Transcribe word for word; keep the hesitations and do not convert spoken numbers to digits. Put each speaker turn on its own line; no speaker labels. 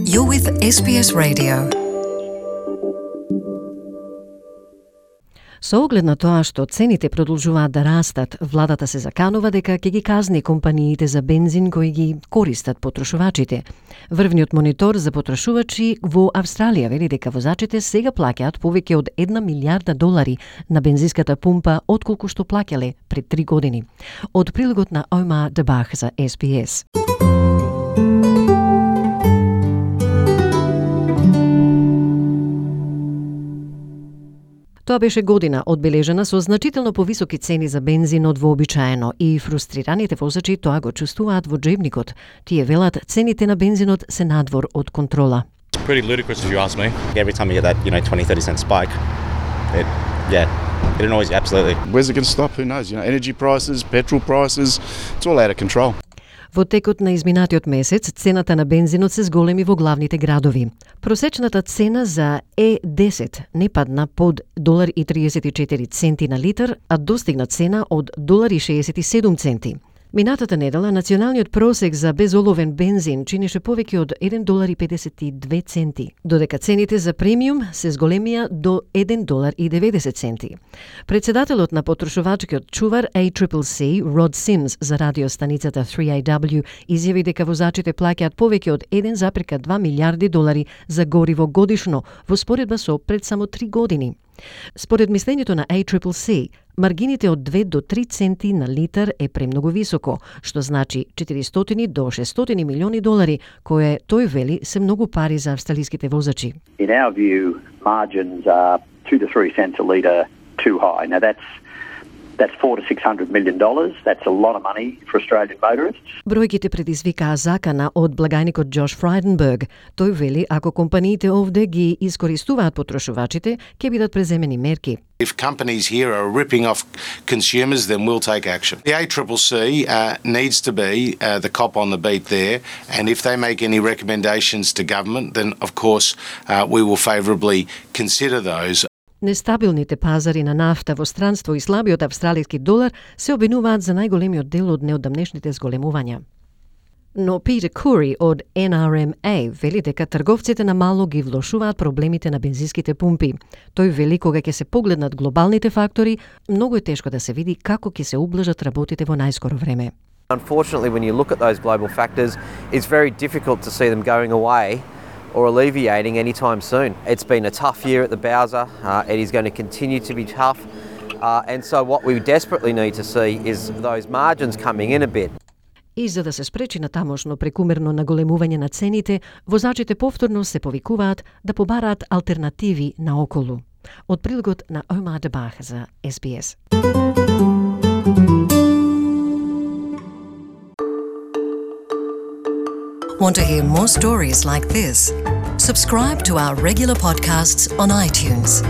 You're with Ес Би Ес Radio.
Со оглед на тоа што цените продолжуваат да растат, владата се заканува дека ќе ги казни компаниите за бензин кои ги користат потрошувачите. Врвниот монитор за потрошувачи во Австралија вели дека возачите сега плаќаат повеќе од една милијарда долари на бензинската пумпа отколку што плаќале пред три години. Од прилогот на Омар Дебах за Ес Би Ес. Тоа беше година одбележена со значително повисоки цени за бензин од вообичаено и фрустрираните возачи тоа го чувствуваат во джебникот. Тие велат цените на бензинот се надвор од контрола.
It's pretty ludicrous if you ask me.
Every time you get that, you know, twenty, thirty cent spike, it, yeah, it annoys you, absolutely.
Where's it going to stop? Who knows? You know, energy prices, petrol prices, it's all out of control.
Во текот на изминатиот месец, цената на бензинот се зголеми во главните градови. Просечната цена за Е десет не падна под еден и триесет и четири центи на литар, а достигна цена од еден и шеесет и седум центи. Минатата недела, националниот просек за безоловен бензин чинеше повеќе од еден и педесет и две центи, додека цените за премиум се зголемија до еден и деветдесет центи. Председателот на потрошувачкиот чувар Ей Си Си Си, Род Симс, за радиостаницата три Ей Дабљу, изјави дека возачите плаќаат повеќе од еден зарез два милијарди долари за гориво годишно, во споредба со пред само три години. Според мислењето на Ей Си Си Си, маргините од две до три центи на литар е премногу високо, што значи четиристотини до шестстотини милиони долари, кое тој вели се многу пари за австралиските возачи.
In our view, margins are two to three cents a litre too high. Now that's That's four to six hundred million dollars. That's a lot of money for Australian motorists.
Бројките предизвикаа закана од благајникот Џош Фрајденберг. Тој вели ако компаниите овде ги искористуваат потрошувачите, ќе бидат преземени мерки.
If companies here are ripping off consumers, then we'll take action. The Ей Си Си Си uh, needs to be uh, the cop on the beat there, and if they make any recommendations to government, then of course uh, we will favourably consider those.
Нестабилните пазари на нафта во странство и слабиот австралиски долар се обвинуваат за најголемиот дел од неодамнешните зголемувања. Но Питер Кури од Ен Ар Ем Ей вели дека трговците на мало ги влошуваат проблемите на бензинските пумпи. Тој вели кога ќе се погледнат глобалните фактори, многу е тешко да се види како ќе се ублажат работите во најскоро време.
Unfortunately, when you look at those global factors, it's very difficult to see them going away or alleviating anytime soon. It's been a tough year at the Bowser. Uh, it is going to continue to be tough. Uh, and so what we desperately need to see is those margins coming in a bit.
И за да се спречи на тамошно прекумерно наголемување на цените, возачите повторно се повикуваат да побараат алтернативи наоколу. Од прилогот на Омар Дебах за Ес Би Ес.
Want to hear more stories like this? Subscribe to our regular podcasts on iTunes.